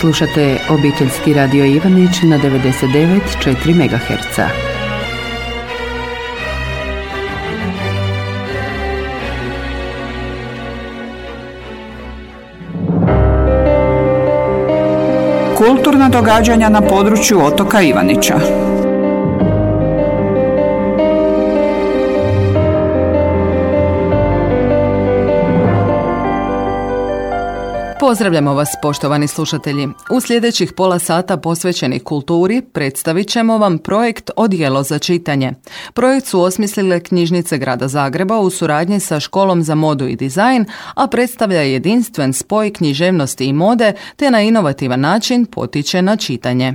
Slušate obiteljski radio Ivanić na 99,4 MHz. Kulturna događanja na području otoka Ivanića. Pozdravljamo vas, poštovani slušatelji. U sljedećih pola sata posvećenih kulturi predstavit ćemo vam projekt Odijelo za čitanje. Projekt su osmislile knjižnice Grada Zagreba u suradnji sa Školom za modu i dizajn, a predstavlja jedinstven spoj književnosti i mode te na inovativan način potiče na čitanje.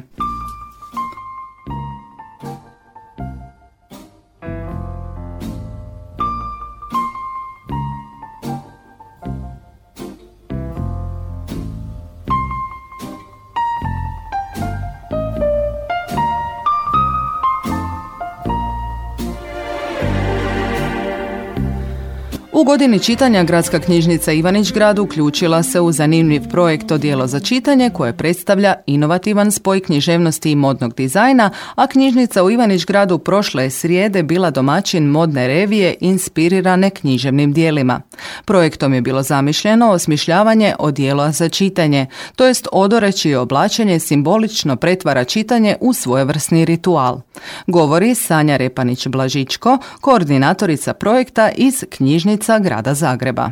U godini čitanja Gradska knjižnica Ivanić-Grad uključila se u zanimljiv projekt Odijelo za čitanje koje predstavlja inovativan spoj književnosti i modnog dizajna, a knjižnica u Ivanić-Gradu prošle je srijede bila domaćin modne revije inspirirane književnim dijelima. Projektom je bilo zamišljeno osmišljavanje odijela za čitanje, to jest odore čije oblačenje simbolično pretvara čitanje u svojevrsni ritual. Govori Sanja Repanić-Blažičko, koordinatorica projekta iz knjižnica Grada Zagreba.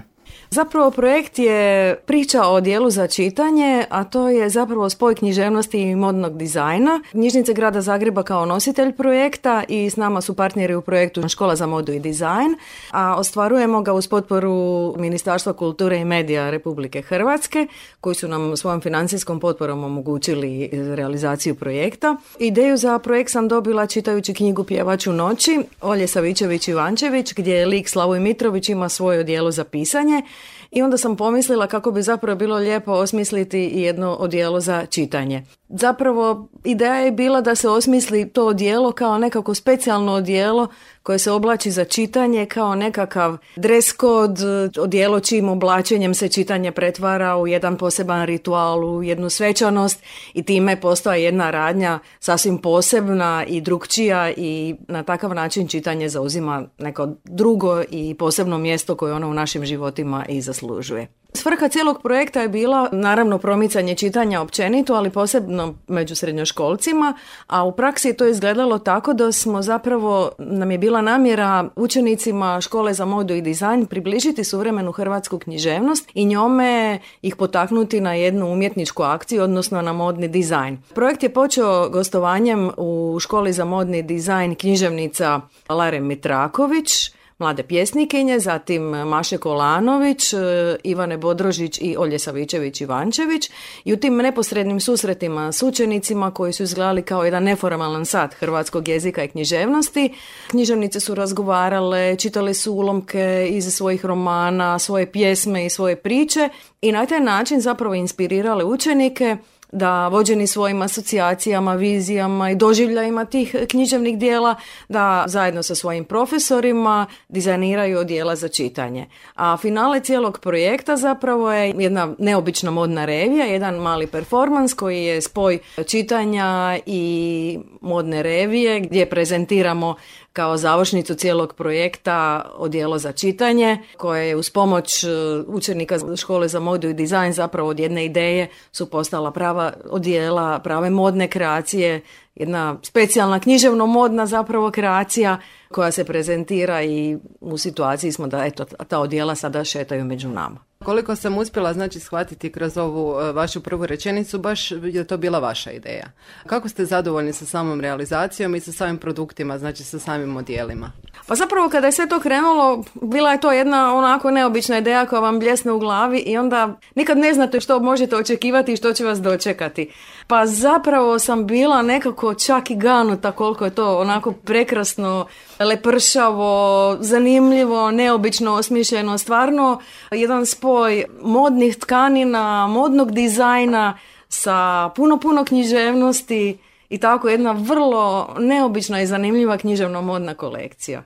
Zapravo projekt je priča o odijelu za čitanje, a to je zapravo spoj književnosti i modnog dizajna. Knjižnice Grada Zagreba kao nositelj projekta i s nama su partneri u projektu Škola za modu i dizajn, a ostvarujemo ga uz potporu Ministarstva kulture i medija Republike Hrvatske, koji su nam svojom financijskom potporom omogućili realizaciju projekta. Ideju za projekt sam dobila čitajući knjigu Pjevač u noći Olje Savičević-Ivančević, gdje lik Slavoj Mitrović ima svoje odijelo za pisanje. I onda sam pomislila kako bi zapravo bilo lijepo osmisliti jedno odijelo za čitanje. Zapravo ideja je bila da se osmisli to odijelo kao nekako specijalno odijelo koje se oblači za čitanje, kao nekakav dress code, odijelo čijim oblačenjem se čitanje pretvara u jedan poseban ritual, u jednu svečanost i time postaje jedna radnja sasvim posebna i drukčija i na takav način čitanje zauzima neko drugo i posebno mjesto koje ono u našim životima i zaslužuje. Svrha cijelog projekta je bila naravno promicanje čitanja općenito, ali posebno među srednjoškolcima, a u praksi je to izgledalo tako da smo zapravo, nam je bila namjera učenicima Škole za modu i dizajn približiti suvremenu hrvatsku književnost i njome ih potaknuti na jednu umjetničku akciju, odnosno na modni dizajn. Projekt je počeo gostovanjem u Školi za modni dizajn književnica Lare Mitraković, mlade pjesnikinje, zatim Maše Kolanović, Ivane Bodrožić i Olje Savičević-Ivančević i u tim neposrednim susretima s učenicima koji su izgledali kao jedan neformalan sat hrvatskog jezika i književnosti. Književnice su razgovarale, čitale su ulomke iz svojih romana, svoje pjesme i svoje priče i na taj način zapravo inspirirale učenike da vođeni svojim asocijacijama, vizijama i doživljajima tih književnih dijela, da zajedno sa svojim profesorima dizajniraju odijela za čitanje. A finale cijelog projekta zapravo je jedna neobična modna revija, jedan mali performans koji je spoj čitanja i modne revije gdje prezentiramo kao završnicu cijelog projekta odijelo za čitanje, koje je uz pomoć učenika Škole za modu i dizajn zapravo od jedne ideje su postala prava odijela, prave modne kreacije, jedna specijalna književno-modna zapravo kreacija koja se prezentira i u situaciji smo da eto, ta odijela sada šetaju među nama. Koliko sam uspjela shvatiti kroz ovu vašu prvu rečenicu, baš je to bila vaša ideja. Kako ste zadovoljni sa samom realizacijom i sa samim produktima, sa samim odijelima? Pa zapravo kada je sve to krenulo, bila je to jedna onako neobična ideja koja vam bljesne u glavi i onda nikad ne znate što možete očekivati i što će vas dočekati. Pa zapravo sam bila nekako čak i ganuta koliko je to onako prekrasno, lepršavo, zanimljivo, neobično osmišljeno, stvarno jedan spoj modnih tkanina, modnog dizajna sa puno književnosti i tako jedna vrlo neobična i zanimljiva književno-modna kolekcija.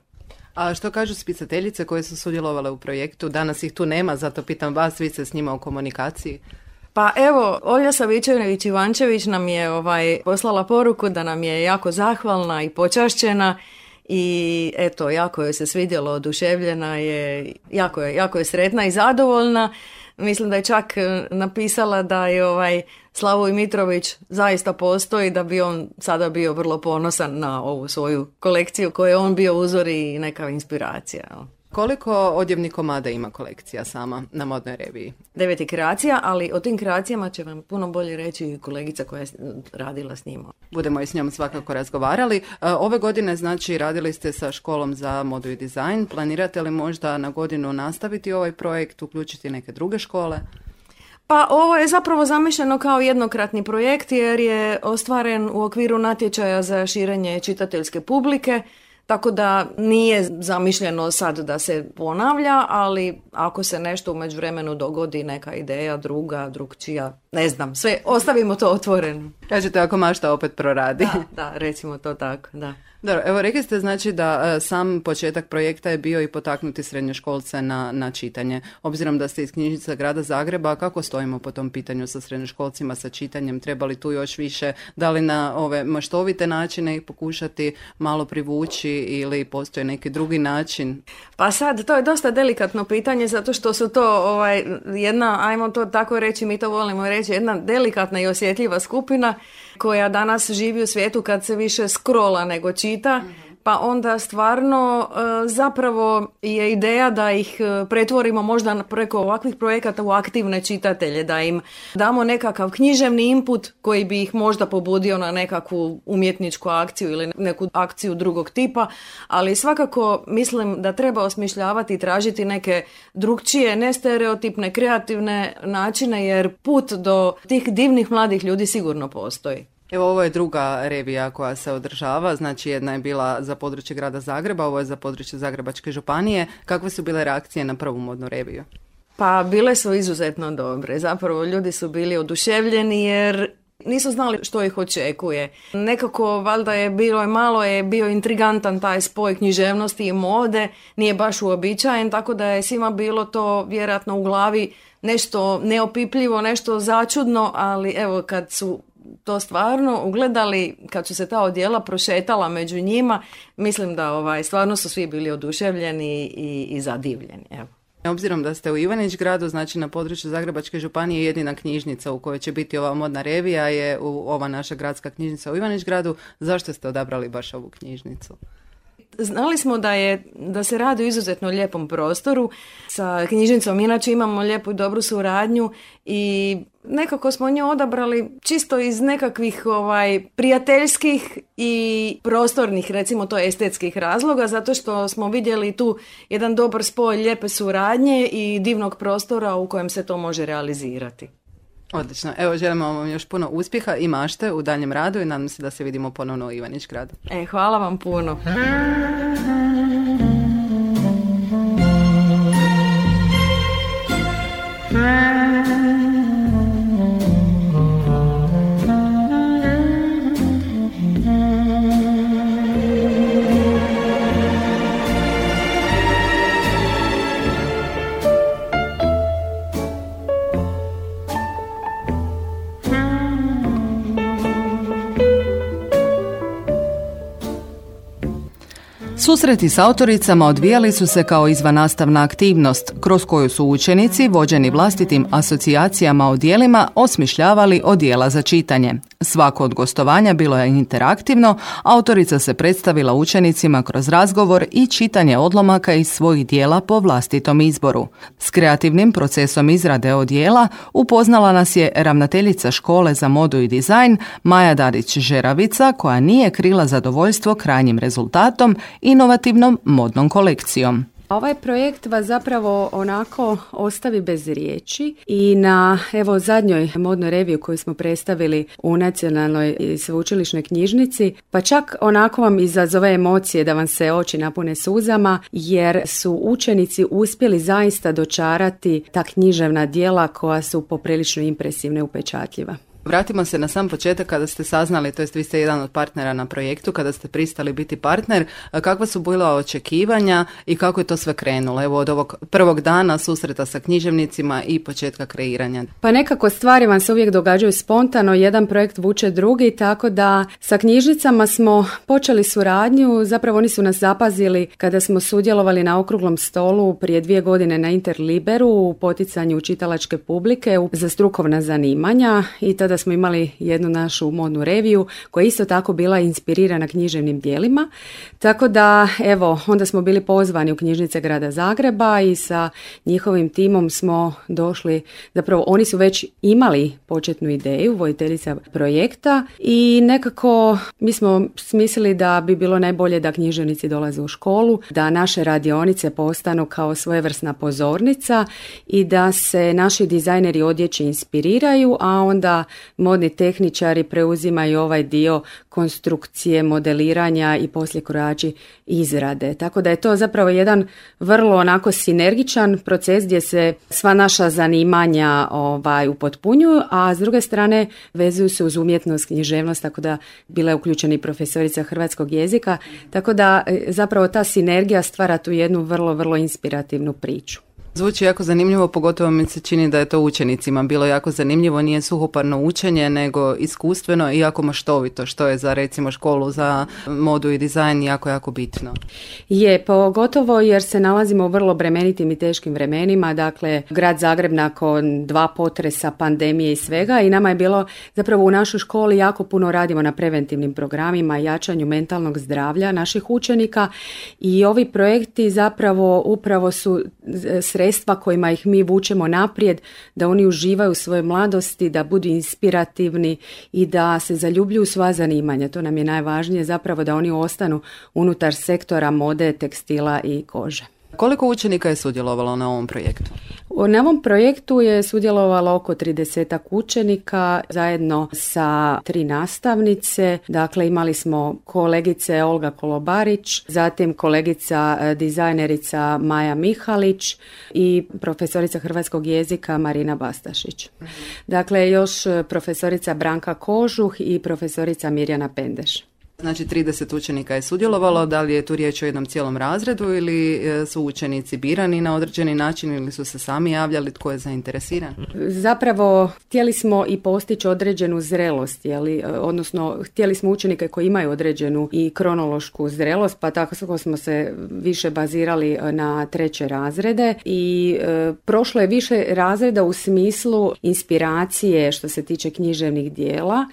A što kažu spisateljice koje su sudjelovale u projektu? Danas ih tu nema, zato pitam vas, vi ste s njima u komunikaciji. Pa evo, Olja Savičević-Ivančević nam je poslala poruku da nam je jako zahvalna i počašćena i eto, jako joj se svidjelo, oduševljena je, jako je sretna i zadovoljna. Mislim da je čak napisala da je Slavoj Mitrović zaista postoji, da bi on sada bio vrlo ponosan na ovu svoju kolekciju koju je on bio uzor i neka inspiracija. Koliko odjevnih komada ima kolekcija sama na modnoj reviji? 9 kreacija, ali o tim kreacijama će vam puno bolje reći kolegica koja je radila s njima. Budemo i s njom svakako razgovarali. Ove godine, znači, radili ste sa školom za modu i dizajn. Planirate li možda na godinu nastaviti ovaj projekt, uključiti neke druge škole? Pa ovo je zapravo zamišljeno kao jednokratni projekt jer je ostvaren u okviru natječaja za širenje čitateljske publike. Tako da nije zamišljeno sad da se ponavlja, ali ako se nešto u međuvremenu dogodi, neka ideja drugčija, ne znam, sve, ostavimo to otvoreno. Kažete ako mašta opet proradi. Da, recimo to tako, da. Dobro, evo rekli ste znači da sam početak projekta je bio i potaknuti srednjoškolce na čitanje. Obzirom da ste iz knjižnice Grada Zagreba, kako stojimo po tom pitanju sa srednjoškolcima, sa čitanjem? Treba li tu još više, da li na ove maštovite načine ih pokušati malo privući ili postoji neki drugi način? Pa sad, to je dosta delikatno pitanje zato što su to jedna, ajmo to tako reći, mi to volimo reći, jedna delikatna i osjetljiva skupina koja danas živi u svijetu kad se više scrolla nego čita, pa onda stvarno zapravo je ideja da ih pretvorimo možda preko ovakvih projekata u aktivne čitatelje, da im damo nekakav književni input koji bi ih možda pobudio na nekakvu umjetničku akciju ili neku akciju drugog tipa, ali svakako mislim da treba osmišljavati i tražiti neke drugčije, nestereotipne, kreativne načine jer put do tih divnih mladih ljudi sigurno postoji. Evo, ovo je druga revija koja se održava, znači jedna je bila za područje Grada Zagreba, ovo je za područje Zagrebačke županije. Kakve su bile reakcije na prvu modnu reviju? Pa bile su izuzetno dobre. Zapravo ljudi su bili oduševljeni jer nisu znali što ih očekuje. Nekako valjda je bio intrigantan taj spoj književnosti i mode, nije baš uobičajen, tako da je svima bilo to vjerojatno u glavi nešto neopipljivo, nešto začudno, ali evo kad su to stvarno ugledali, kad su se ta odjela prošetala među njima, mislim da stvarno su svi bili oduševljeni i zadivljeni. Evo. Obzirom da ste u Ivanić Gradu, znači na području Zagrebačke županije, jedina knjižnica u kojoj će biti ova modna revija je ova naša gradska knjižnica u Ivanić Gradu. Zašto ste odabrali baš ovu knjižnicu? Znali smo da se radi u izuzetno lijepom prostoru. Sa knjižnicom inače imamo lijepu i dobru suradnju i nekako smo nju odabrali čisto iz nekakvih prijateljskih i prostornih, recimo to estetskih razloga, zato što smo vidjeli tu jedan dobar spoj lijepe suradnje i divnog prostora u kojem se to može realizirati. Odlično. Evo, želimo vam još puno uspjeha i mašte u daljem radu i nadam se da se vidimo ponovno u Ivanić Gradu. Hvala vam puno. Susreti s autoricama odvijali su se kao izvannastavna aktivnost, kroz koju su učenici, vođeni vlastitim asocijacijama o djelima, osmišljavali odjela za čitanje. Svako od gostovanja bilo je interaktivno, autorica se predstavila učenicima kroz razgovor i čitanje odlomaka iz svojih djela po vlastitom izboru. S kreativnim procesom izrade odjela upoznala nas je ravnateljica škole za modu i dizajn Maja Darić-Žeravica, koja nije krila zadovoljstvo krajnjim rezultatom, inovativnom modnom kolekcijom. Ovaj projekt vas zapravo onako ostavi bez riječi i na zadnjoj modnoj reviju koju smo predstavili u Nacionalnoj sveučilišnoj knjižnici, pa čak onako vam izazove emocije da vam se oči napune suzama, jer su učenici uspjeli zaista dočarati ta književna djela koja su poprilično impresivna i upečatljiva. Vratimo se na sam početak kada ste saznali, to jest vi ste jedan od partnera na projektu, kada ste pristali biti partner, kakva su bila očekivanja i kako je to sve krenulo? Evo od ovog prvog dana susreta sa književnicima i početka kreiranja. Pa nekako stvari vam se uvijek događaju spontano, jedan projekt vuče drugi, tako da sa knjižnicama smo počeli suradnju, zapravo oni su nas zapazili kada smo sudjelovali na okruglom stolu prije 2 godine na Interliberu u poticanju čitalačke publike za strukovna zanimanja i tada smo imali jednu našu modnu reviju koja je isto tako bila inspirirana književnim djelima. Tako da, evo, onda smo bili pozvani u knjižnice grada Zagreba i sa njihovim timom smo došli, zapravo oni su već imali početnu ideju, voditeljica projekta i nekako mi smo smislili da bi bilo najbolje da književnici dolaze u školu, da naše radionice postanu kao svojevrsna pozornica i da se naši dizajneri odjeće inspiriraju, a onda modni tehničari preuzimaju ovaj dio konstrukcije, modeliranja i poslije krojači izrade. Tako da je to zapravo jedan vrlo onako sinergičan proces gdje se sva naša zanimanja upotpunjuju, a s druge strane vezuju se uz umjetnost, književnost, tako da bila je uključena i profesorica hrvatskog jezika, tako da zapravo ta sinergija stvara tu jednu vrlo, vrlo inspirativnu priču. Zvuči jako zanimljivo, pogotovo mi se čini da je to učenicima bilo jako zanimljivo, nije suhoparno učenje, nego iskustveno i jako maštovito, što je za recimo školu za modu i dizajn jako bitno. Je, pogotovo jer se nalazimo u vrlo bremenitim i teškim vremenima, dakle grad Zagreb nakon 2 potresa, pandemije i svega i nama je bilo zapravo u našoj školi jako puno radimo na preventivnim programima, jačanju mentalnog zdravlja naših učenika i ovi projekti zapravo upravo su sredstva kojima ih mi vučemo naprijed, da oni uživaju u svojoj mladosti, da budu inspirativni i da se zaljubljuju sva zanimanja. To nam je najvažnije, zapravo da oni ostanu unutar sektora mode, tekstila i kože. Koliko učenika je sudjelovalo na ovom projektu? Na ovom projektu je sudjelovalo oko 30 učenika zajedno sa 3 nastavnice. Dakle, imali smo kolegice Olga Kolobarić, zatim kolegica dizajnerica Maja Mihalić i profesorica hrvatskog jezika Marina Bastašić. Dakle, još profesorica Branka Kožuh i profesorica Mirjana Pendeš. Znači 30 učenika je sudjelovalo, da li je tu riječ o jednom cijelom razredu ili su učenici birani na određeni način ili su se sami javljali, tko je zainteresiran? Zapravo htjeli smo i postići određenu zrelost, odnosno htjeli smo učenike koji imaju određenu i kronološku zrelost, pa tako smo se više bazirali na 3. razrede i prošlo je više razreda u smislu inspiracije što se tiče književnih dijela,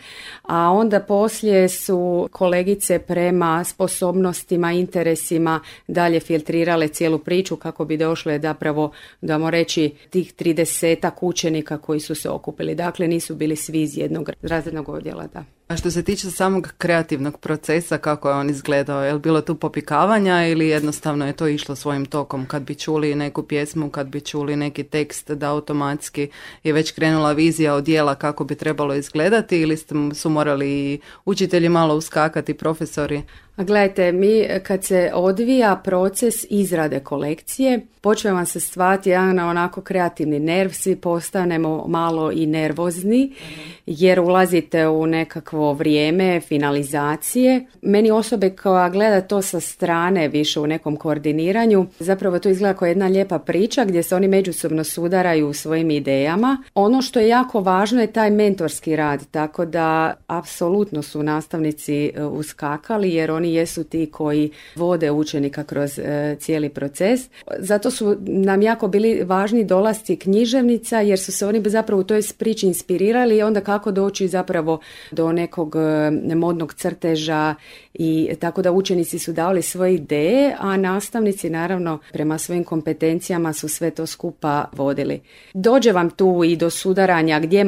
a onda poslije su kolegice prema sposobnostima, interesima dalje filtrirale cijelu priču kako bi došle zapravo, damo reći, tih 30 učenika koji su se okupili. Dakle, nisu bili svi iz jednog razrednog odjela, da. A što se tiče samog kreativnog procesa, kako je on izgledao? Je li bilo tu popikavanja ili jednostavno je to išlo svojim tokom? Kad bi čuli neku pjesmu, kad bi čuli neki tekst, da automatski je već krenula vizija od djela kako bi trebalo izgledati ili su morali učitelji malo uskakati, profesori? A gledajte, mi kad se odvija proces izrade kolekcije, počne vam se stvarati jedan onako kreativni nerv, svi postanemo malo i nervozni jer ulazite u nekakvo vrijeme finalizacije. Meni osobe koja gleda to sa strane više u nekom koordiniranju, zapravo to izgleda kao jedna lijepa priča gdje se oni međusobno sudaraju u svojim idejama. Ono što je jako važno je taj mentorski rad, tako da apsolutno su nastavnici uskakali jer oni jesu ti koji vode učenika kroz cijeli proces. Zato su nam jako bili važni dolasci književnica jer su se oni zapravo u toj priči inspirirali i onda kako doći zapravo do nekog modnog crteža i tako da učenici su davali svoje ideje, a nastavnici naravno prema svojim kompetencijama su sve to skupa vodili. Dođe vam tu i do sudaranja gdje je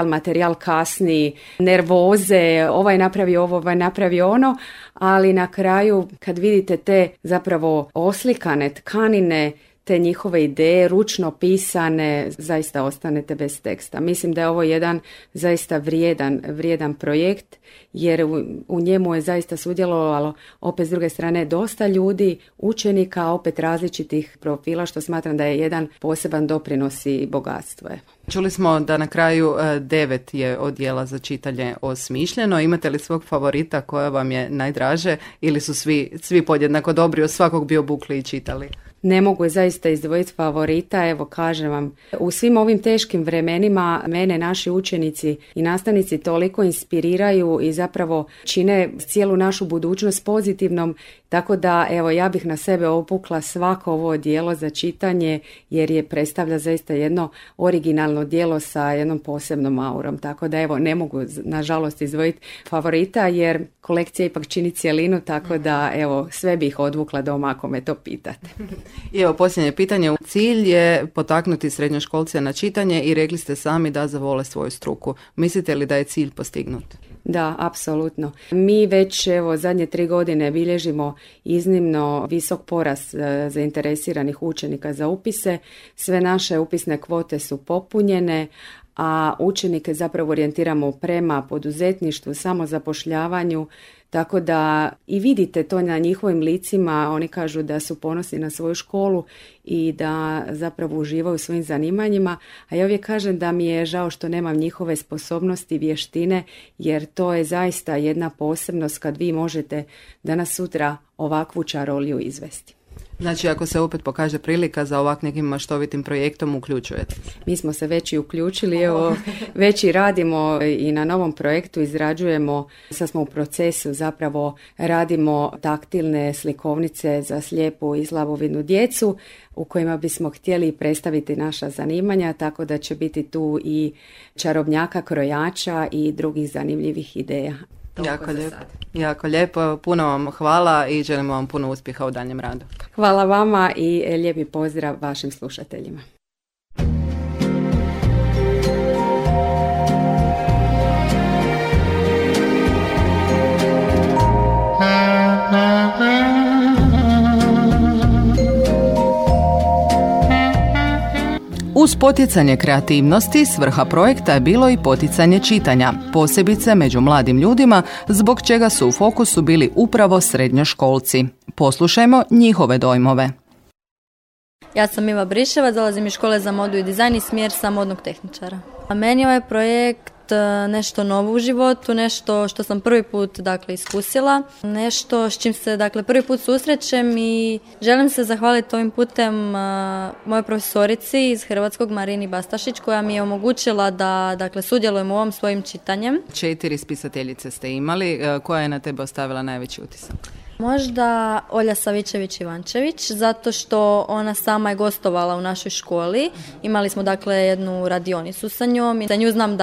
materijal kasni, nervoze, ovaj napravi ovo, ovaj napravi ono, ali na kraju kad vidite te zapravo oslikane tkanine, te njihove ideje, ručno pisane, zaista ostanete bez teksta. Mislim da je ovo jedan zaista vrijedan projekt, jer u njemu je zaista sudjelovalo opet s druge strane dosta ljudi, učenika, opet različitih profila, što smatram da je jedan poseban doprinos i bogatstvo. Čuli smo da na kraju 9 je odjela za čitanje osmišljeno. Imate li svog favorita koja vam je najdraže ili su svi podjednako dobri, od svakog bi obukli i čitali? Ne mogu zaista izdvojiti favorita, evo kažem vam, u svim ovim teškim vremenima mene naši učenici i nastavnici toliko inspiriraju i zapravo čine cijelu našu budućnost pozitivnom, tako da evo ja bih na sebe opukla svako ovo djelo za čitanje jer je predstavlja zaista jedno originalno djelo sa jednom posebnom aurom, tako da evo ne mogu nažalost izdvojiti favorita jer kolekcija ipak čini cjelinu, tako da evo sve bih odvukla doma ako me to pitate. I evo posljednje pitanje. Cilj je potaknuti srednjoškolce na čitanje i rekli ste sami da zavole svoju struku. Mislite li da je cilj postignut? Da, apsolutno. Mi već zadnje 3 godine bilježimo iznimno visok porast zainteresiranih učenika za upise. Sve naše upisne kvote su popunjene, a učenike zapravo orijentiramo prema poduzetništvu, samozapošljavanju, tako da i vidite to na njihovim licima, oni kažu da su ponosni na svoju školu i da zapravo uživaju u svojim zanimanjima, a ja uvijek kažem da mi je žao što nemam njihove sposobnosti i vještine, jer to je zaista jedna posebnost kad vi možete danas sutra ovakvu čaroliju izvesti. Znači, ako se opet pokaže prilika za ovak nekim maštovitim projektom, uključujete? Mi smo se već i uključili, evo, već i radimo i na novom projektu, izrađujemo, sad smo u procesu, zapravo radimo taktilne slikovnice za slijepu i slabovidnu djecu, u kojima bismo htjeli predstaviti naša zanimanja, tako da će biti tu i čarobnjaka, krojača i drugih zanimljivih ideja. Jako lijepo, puno vam hvala i želimo vam puno uspjeha u daljem radu. Hvala vama i lijepi pozdrav vašim slušateljima. Uz poticanje kreativnosti, svrha projekta je bilo i poticanje čitanja, posebice među mladim ljudima, zbog čega su u fokusu bili upravo srednjoškolci. Poslušajmo njihove dojmove. Ja sam Iva Briševa, dolazim iz škole za modu i dizajn i smjer sam modnog tehničara. A meni je ovaj projekt nešto novo u životu, nešto što sam prvi put iskusila, nešto s čim se prvi put susrećem i želim se zahvaliti ovim putem mojoj profesorici iz Hrvatskog, Marini Bastašić, koja mi je omogućila da sudjelujem u ovom svojim čitanjem. 4 spisateljice ste imali, koja je na tebe ostavila najveći utisak? Možda Olja Savičević-Ivančević, zato što ona sama je gostovala u našoj školi. Imali smo jednu radionicu sa njom i za nju znam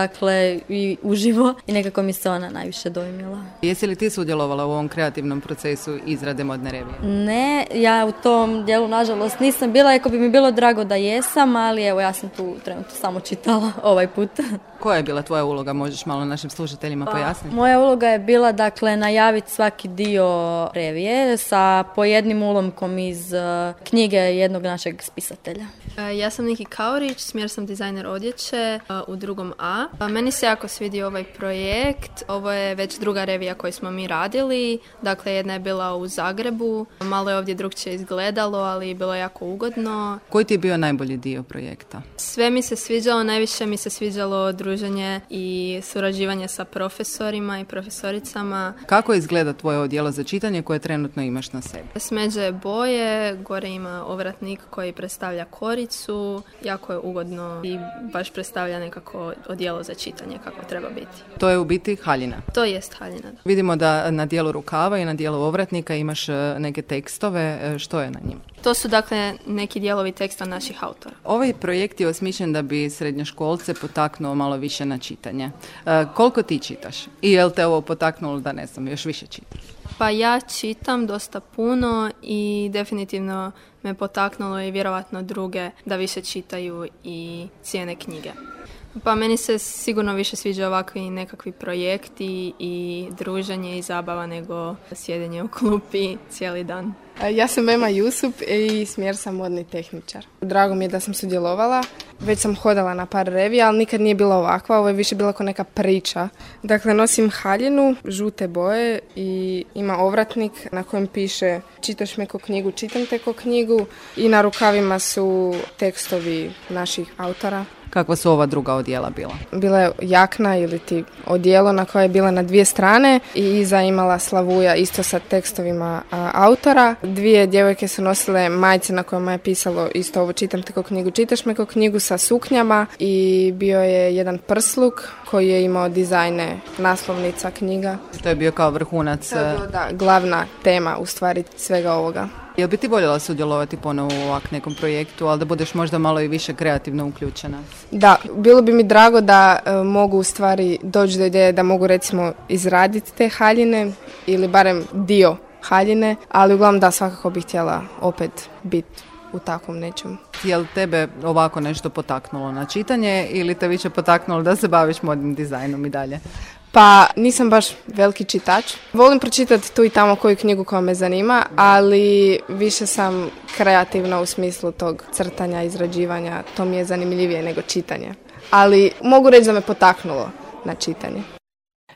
i uživo i nekako mi se ona najviše dojmila. Jesi li ti sudjelovala u ovom kreativnom procesu izrade modne revije? Ne, ja u tom dijelu nažalost nisam bila, iako bi mi bilo drago da jesam, ali evo ja sam tu trenutno samo čitala ovaj put. Koja je bila tvoja uloga, možeš malo našim slušateljima pojasniti? Moja uloga je bila najaviti svaki dio revije sa po jednim ulomkom iz knjige jednog našeg spisatelja. Ja sam Niki Kaurić, smjer sam dizajner odjeće u 2. A. Meni se jako svidio ovaj projekt. Ovo je već druga revija koju smo mi radili. Dakle, jedna je bila u Zagrebu. Malo je ovdje drugčije izgledalo, ali bilo je jako ugodno. Koji ti je bio najbolji dio projekta? Sve mi se sviđalo, najviše mi se sviđalo druženje i surađivanje sa profesorima i profesoricama. Kako izgleda tvoje odjelo za čitanje koje trenutno imaš na sebi? Smeđe boje, gore ima ovratnik koji predstavlja koricu, jako je ugodno i baš predstavlja nekako odjelo za čitanje kako treba biti. To je u biti haljina? To jest haljina, da. Vidimo da na dijelu rukava i na dijelu ovratnika imaš neke tekstove, što je na njima? To su neki dijelovi teksta naših autora. Ovaj projekt je osmišljen da bi srednjoškolce potaknuo malo više na čitanje. Koliko ti čitaš? I je li te ovo potaknulo da još više čitaš? Pa ja čitam dosta puno i definitivno me potaknulo i vjerovatno druge da više čitaju i cijene knjige. Pa meni se sigurno više sviđa ovakvi nekakvi projekti i druženje i zabava nego sjedenje u klupi cijeli dan. Ja sam Ema Jusup i smjer sam modni tehničar. Drago mi je da sam sudjelovala. Već sam hodala na par revija, ali nikad nije bila ovakva. Ovo je više bila kao neka priča. Dakle, nosim haljinu, žute boje i ima ovratnik na kojem piše čitaš me ko knjigu, čitam te ko knjigu i na rukavima su tekstovi naših autora. Kakva su ova druga odjela bila? Bila je jakna ili ti odjelo na koje je bila na 2 strane i iza imala slavuja isto sa tekstovima autora. 2 djevojke su nosile majice na kojima je pisalo isto ovo čitaš te ko knjigu, čitaš me ko knjigu sa suknjama i bio je jedan prsluk koji je imao dizajne naslovnica knjiga. To je bio kao vrhunac. Da, glavna tema u stvari svega ovoga. Jel bi ti voljela sudjelovati ponovo u ovak nekom projektu, ali da budeš možda malo i više kreativno uključena? Da, bilo bi mi drago da mogu u stvari doći do ideje da mogu recimo izraditi te haljine ili barem dio haljine, ali uglavnom da, svakako bih htjela opet biti u takvom nečem. Je li tebe ovako nešto potaknulo na čitanje ili te više potaknulo da se baviš modnim dizajnom i dalje? Pa nisam baš veliki čitač. Volim pročitati tu i tamo koju knjigu koja me zanima, ali više sam kreativna u smislu tog crtanja, izrađivanja. To mi je zanimljivije nego čitanje. Ali mogu reći da me potaknulo na čitanje.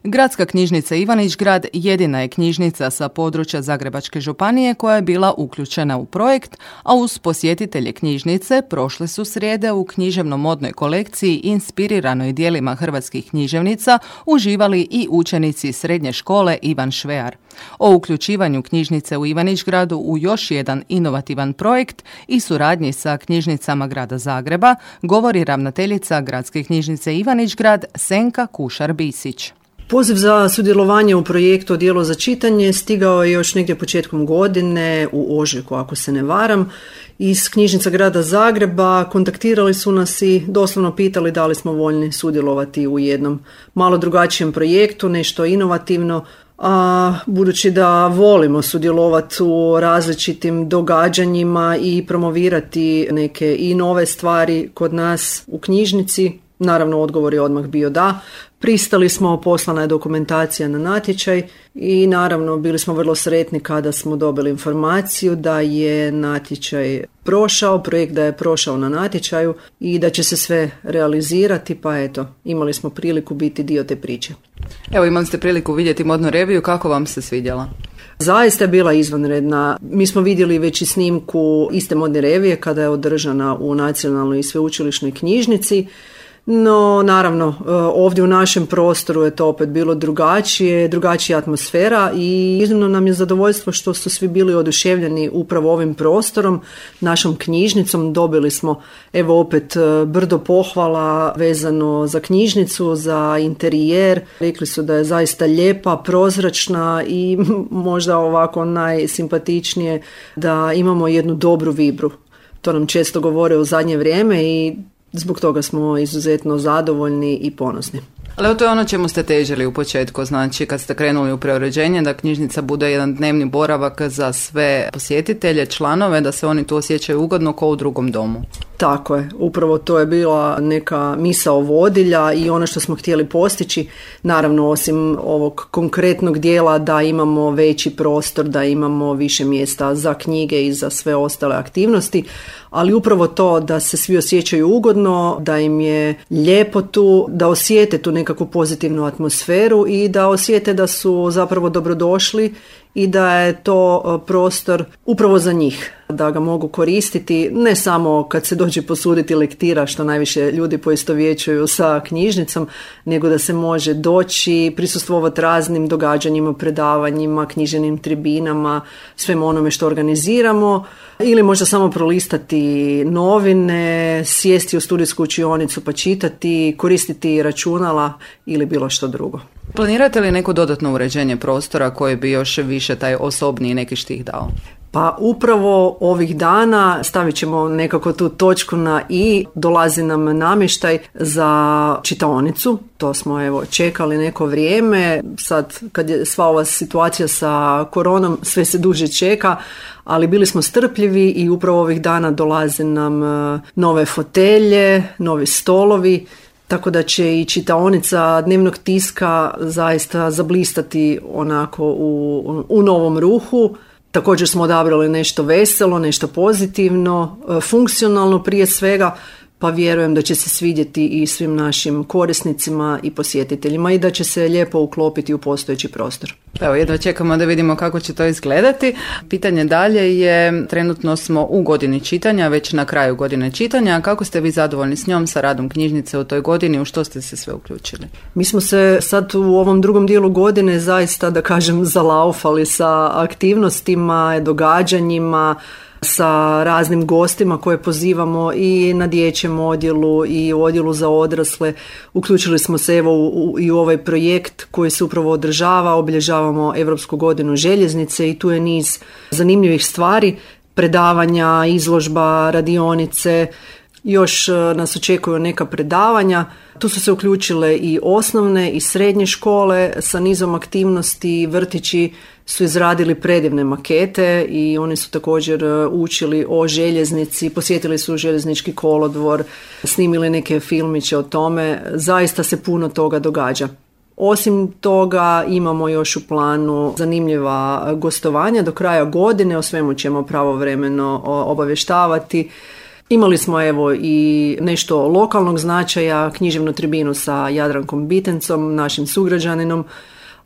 Gradska knjižnica Ivanić Grad jedina je knjižnica sa područja Zagrebačke županije koja je bila uključena u projekt, a uz posjetitelje knjižnice prošle su srijede u književno-modnoj kolekciji inspiriranoj dijelima hrvatskih književnica uživali i učenici srednje škole Ivan Švear. O uključivanju knjižnice u Ivanić Gradu u još jedan inovativan projekt i suradnji sa knjižnicama Grada Zagreba govori ravnateljica Gradske knjižnice Ivanić Grad Senka Kušar-Bisić. Poziv za sudjelovanje u projektu Odjelo za čitanje stigao je još negdje početkom godine u ožujku, ako se ne varam. Iz knjižnica Grada Zagreba kontaktirali su nas i doslovno pitali da li smo voljni sudjelovati u jednom malo drugačijem projektu, nešto inovativno. A budući da volimo sudjelovati u različitim događanjima i promovirati neke i nove stvari kod nas u knjižnici, naravno odgovor je odmah bio da. Pristali smo, poslana je dokumentacija na natječaj i naravno bili smo vrlo sretni kada smo dobili informaciju da je natječaj prošao, projekt da je prošao na natječaju i da će se sve realizirati, pa eto, imali smo priliku biti dio te priče. Evo, imali ste priliku vidjeti modnu reviju, kako vam se svidjela? Zaista je bila izvanredna. Mi smo vidjeli već i snimku iste modne revije kada je održana u Nacionalnoj i sveučilišnoj knjižnici. No, naravno, ovdje u našem prostoru je to opet bilo drugačija atmosfera i iznimno nam je zadovoljstvo što su svi bili oduševljeni upravo ovim prostorom, našom knjižnicom. Dobili smo, evo opet, brdo pohvala vezano za knjižnicu, za interijer. Rekli su da je zaista lijepa, prozračna i možda ovako najsimpatičnije da imamo jednu dobru vibru. To nam često govore u zadnje vrijeme i zbog toga smo izuzetno zadovoljni i ponosni. Ali to je ono čemu ste težili u početku, znači kad ste krenuli u preuređenje, da knjižnica bude jedan dnevni boravak za sve posjetitelje, članove, da se oni tu osjećaju ugodno kao u drugom domu. Tako je, upravo to je bila neka misao vodilja i ono što smo htjeli postići, naravno osim ovog konkretnog dijela da imamo veći prostor, da imamo više mjesta za knjige i za sve ostale aktivnosti, ali upravo to da se svi osjećaju ugodno, da im je lijepo tu, da osjete tu nekakvu pozitivnu atmosferu i da osjete da su zapravo dobrodošli i da je to prostor upravo za njih, da ga mogu koristiti ne samo kad se dođe posuditi lektira, što najviše ljudi poistovjećuju sa knjižnicom, nego da se može doći, prisustvovati raznim događanjima, predavanjima, književnim tribinama, svemu onome što organiziramo, ili možda samo prolistati novine, sjesti u studijsku učionicu pa čitati, koristiti računala ili bilo što drugo. Planirate li neko dodatno uređenje prostora koje bi još više taj osobniji neki štih dao? Pa upravo ovih dana stavit ćemo nekako tu točku na i, dolazi nam namještaj za čitaonicu, to smo evo čekali neko vrijeme, sad kad je sva ova situacija sa koronom sve se duže čeka, ali bili smo strpljivi i upravo ovih dana dolaze nam nove fotelje, novi stolovi, tako da će i čitaonica dnevnog tiska zaista zablistati onako u novom ruhu. Također smo odabrali nešto veselo, nešto pozitivno, funkcionalno prije svega, pa vjerujem da će se svidjeti i svim našim korisnicima i posjetiteljima i da će se lijepo uklopiti u postojeći prostor. Evo, jedva čekamo da vidimo kako će to izgledati. Pitanje dalje je, trenutno smo u godini čitanja, već na kraju godine čitanja. Kako ste vi zadovoljni s njom, sa radom knjižnice u toj godini, u što ste se sve uključili? Mi smo se sad u ovom drugom dijelu godine zaista, da kažem, zalaufali sa aktivnostima, događanjima, sa raznim gostima koje pozivamo i na dječjem odjelu i u odjelu za odrasle. Uključili smo se i u ovaj projekt koji se upravo održava, obilježavamo Europsku godinu željeznice i tu je niz zanimljivih stvari, predavanja, izložba, radionice. Još nas očekuju neka predavanja. Tu su se uključile i osnovne i srednje škole sa nizom aktivnosti. Vrtići su izradili predivne makete i oni su također učili o željeznici, posjetili su željeznički kolodvor, snimili neke filmiće o tome. Zaista se puno toga događa. Osim toga imamo još u planu zanimljiva gostovanja do kraja godine, o svemu ćemo pravovremeno obavještavati. Imali smo evo i nešto lokalnog značaja, književnu tribinu sa Jadrankom Bitencom, našim sugrađaninom,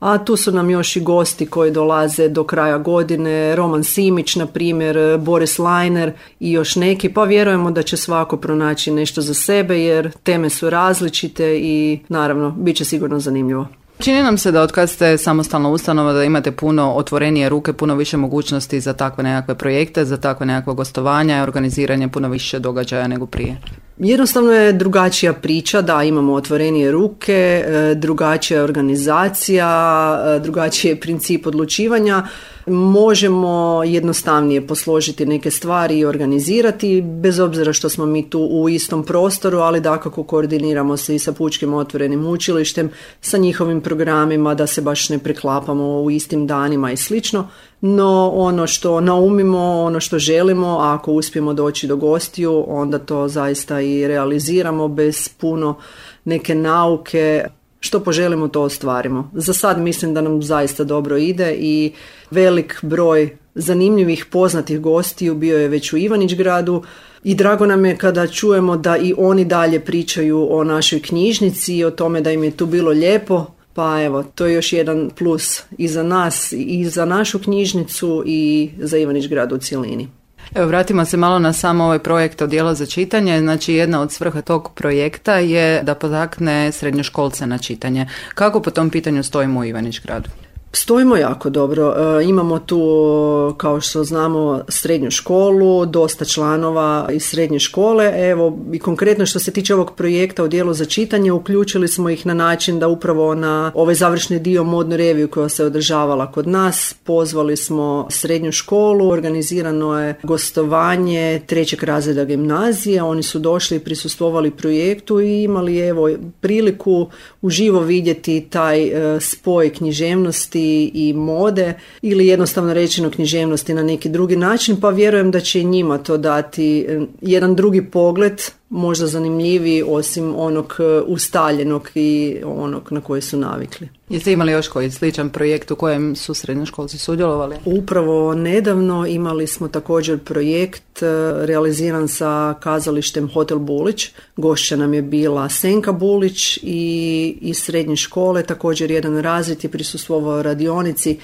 a tu su nam još i gosti koji dolaze do kraja godine, Roman Simić, na primjer, Boris Lajner i još neki, pa vjerujemo da će svako pronaći nešto za sebe jer teme su različite i naravno bit će sigurno zanimljivo. Čini nam se da od kad ste samostalna ustanova da imate puno otvorenije ruke, puno više mogućnosti za takve nekakve projekte, za takve nekakve gostovanja i organiziranje puno više događaja nego prije. Jednostavno je drugačija priča, da imamo otvorenije ruke, drugačija organizacija, drugačiji je princip odlučivanja. Možemo jednostavnije posložiti neke stvari i organizirati, bez obzira što smo mi tu u istom prostoru, ali dakako koordiniramo se i sa Pučkim otvorenim učilištem, sa njihovim programima, da se baš ne preklapamo u istim danima i slično. No ono što naumimo, ono što želimo, a ako uspijemo doći do gostiju, onda to zaista i realiziramo bez puno neke nauke. Što poželimo, to ostvarimo. Za sad mislim da nam zaista dobro ide i velik broj zanimljivih poznatih gostiju bio je već u Ivanić-gradu i drago nam je kada čujemo da i oni dalje pričaju o našoj knjižnici i o tome da im je tu bilo lijepo. Pa evo, to je još jedan plus i za nas i za našu knjižnicu i za Ivanić-grad u cjelini. Evo, vratimo se malo na samo ovaj projekt Odijelo za čitanje. Znači, jedna od svrha tog projekta je da potakne srednjoškolce na čitanje. Kako po tom pitanju stojimo u Ivanić-gradu? Stojimo jako dobro. Imamo tu, kao što znamo, srednju školu, dosta članova iz srednje škole. Evo, i konkretno što se tiče ovog projekta Odijelo za čitanje, uključili smo ih na način da upravo na ovaj završni dio modnu reviju koja se održavala kod nas, pozvali smo srednju školu, organizirano je gostovanje 3. razreda gimnazije, oni su došli i prisustvovali projektu i imali evo priliku uživo vidjeti taj spoj književnosti i mode ili jednostavno rečeno književnosti na neki drugi način, pa vjerujem da će i njima to dati jedan drugi pogled, možda zanimljiviji osim onog ustaljenog i onog na koji su navikli. Jeste imali još koji sličan projekt u kojem su srednjoškolci sudjelovali? Upravo nedavno imali smo također projekt realiziran sa kazalištem Hotel Bulić. Gošća nam je bila Senka Bulić i iz srednje škole također jedan razred je prisustvovao radionici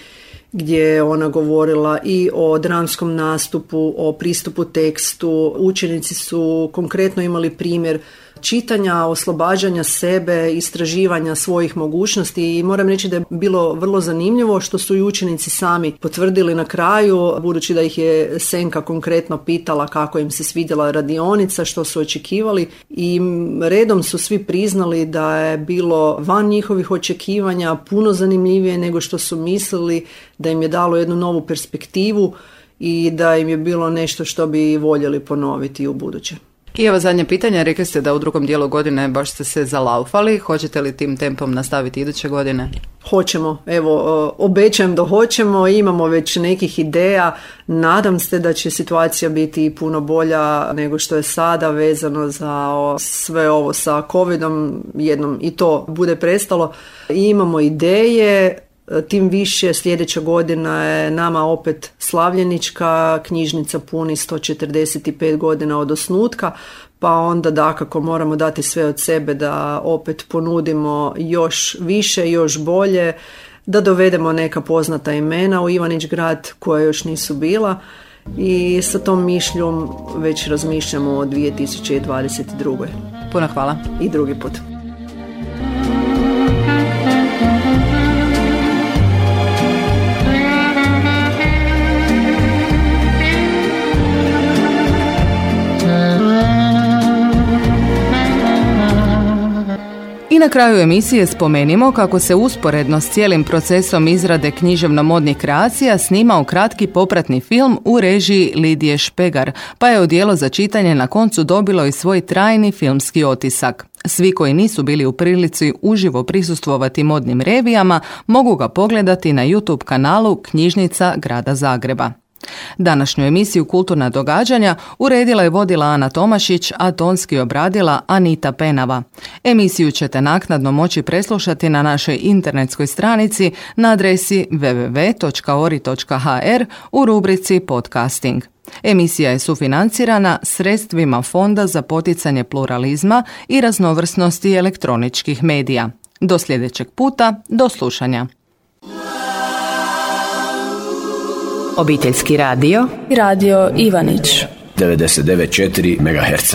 gdje je ona govorila i o dramskom nastupu, o pristupu tekstu. Učenici su konkretno imali primjer čitanja, oslobađanja sebe, istraživanja svojih mogućnosti i moram reći da je bilo vrlo zanimljivo što su i učenici sami potvrdili na kraju, budući da ih je Senka konkretno pitala kako im se svidjela radionica, što su očekivali i redom su svi priznali da je bilo van njihovih očekivanja puno zanimljivije nego što su mislili, da im je dalo jednu novu perspektivu i da im je bilo nešto što bi voljeli ponoviti u buduće. I evo zadnje pitanje, rekli ste da u drugom dijelu godine baš ste se zalaufali, hoćete li tim tempom nastaviti iduće godine? Hoćemo, evo, obećajem da hoćemo, imamo već nekih ideja, nadam se da će situacija biti puno bolja nego što je sada vezano za sve ovo sa covidom, jednom i to bude prestalo. I imamo ideje, tim više sljedeća godina je nama opet slavljenička, knjižnica puni 145 godina od osnutka, pa onda dakako moramo dati sve od sebe da opet ponudimo još više, još bolje, da dovedemo neka poznata imena u Ivanić Grad koja još nisu bila i sa tom mišljom već razmišljamo o 2022. Puno hvala. I drugi put. I na kraju emisije spomenimo kako se usporedno s cijelim procesom izrade književno-modnih kreacija snimao kratki popratni film u režiji Lidije Špegar, pa je odijelo za čitanje na koncu dobilo i svoj trajni filmski otisak. Svi koji nisu bili u prilici uživo prisustvovati modnim revijama mogu ga pogledati na YouTube kanalu Knjižnica Grada Zagreba. Današnju emisiju Kulturna događanja uredila i vodila Ana Tomašić, a tonski obradila Anita Penava. Emisiju ćete naknadno moći preslušati na našoj internetskoj stranici na adresi www.ori.hr u rubrici Podcasting. Emisija je sufinancirana sredstvima Fonda za poticanje pluralizma i raznovrsnosti elektroničkih medija. Do sljedećeg puta, do slušanja. Obiteljski radio i radio Ivanić 99,4 MHz.